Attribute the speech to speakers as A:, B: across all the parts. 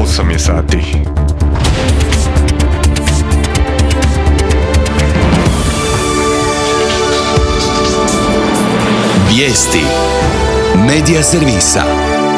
A: 8 je sati.
B: Vijesti Medija servisa.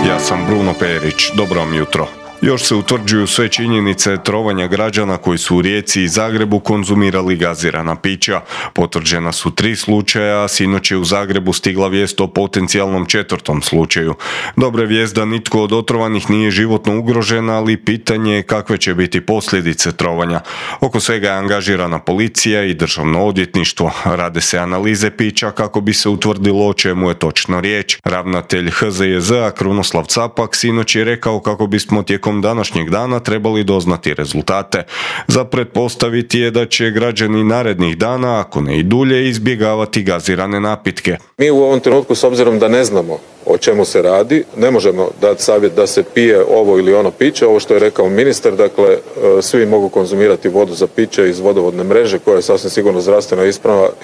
A: Ja sam Bruno Perić, dobro vam jutro. Još se utvrđuju sve činjenice trovanja građana koji su u Rijeci i Zagrebu konzumirali gazirana pića. Potvrđena su 3 slučaja, a sinoć je u Zagrebu stigla vijest o potencijalnom 4. slučaju. Dobra je vijest da nitko od otrovanih nije životno ugrožen, ali pitanje je kakve će biti posljedice trovanja. Oko svega je angažirana policija i državno odvjetništvo. Rade se analize pića kako bi se utvrdilo o čemu je točno riječ. Ravnatelj HZJZ-a Krunoslav Capak sinoć je rekao kako bismo tijekom današnjeg dana trebali doznati rezultate. Za pretpostaviti je da će građani narednih dana, ako ne i dulje, izbjegavati gazirane napitke.
C: Mi u ovom trenutku, s obzirom da ne znamo o čemu se radi, ne možemo dati savjet da se pije ovo ili ono piće. Ovo što je rekao ministar, dakle, svi mogu konzumirati vodu za piće iz vodovodne mreže koja je sasvim sigurno zdravstveno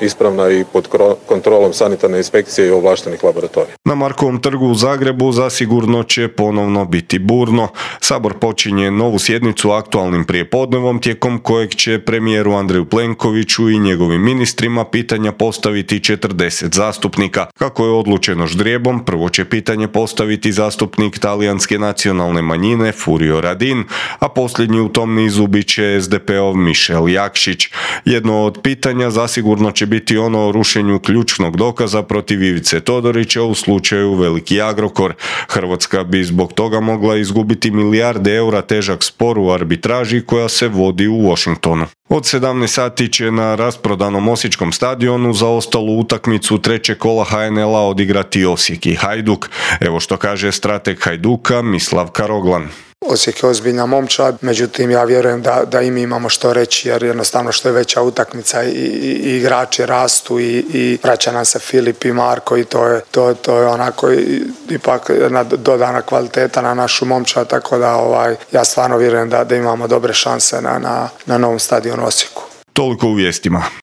C: ispravna i pod kontrolom sanitarne inspekcije i ovlaštenih laboratorija.
A: Na Markovom trgu u Zagrebu zasigurno će ponovno biti burno. Sabor počinje novu sjednicu aktualnim prijepodnevom tijekom kojeg će premijeru Andreju Plenkoviću i njegovim ministrima pitanja postaviti 40 zastupnika. Kako je odlučeno ždrijebom, prvo će pitanje postaviti zastupnik talijanske nacionalne manjine Furio Radin, a posljednji u tom nizu bit će SDP-ov Mišel Jakšić. Jedno od pitanja zasigurno će biti ono o rušenju ključnog dokaza protiv Ivice Todorića u slučaju Veliki Agrokor. Hrvatska bi zbog toga mogla izgubiti milijarde eura težak spor u arbitraži koja se vodi u Washingtonu. Od 17 sati će na rasprodanom Osječkom stadionu za ostalu utakmicu 3. kola HNL-a odigrati Osijek i Hajduk. Evo što kaže strateg Hajduka Mislav Karoglan.
D: Osijek je ozbiljna momčad, međutim ja vjerujem da i mi imamo što reći, jer jednostavno što je veća utakmica i igrači rastu i vraća nam se Filip i Marko i to je onako ipak jedna dodana kvaliteta na našu momčad, tako da ja stvarno vjerujem da imamo dobre šanse na novom stadionu Osijeku.
A: Toliko u vijestima.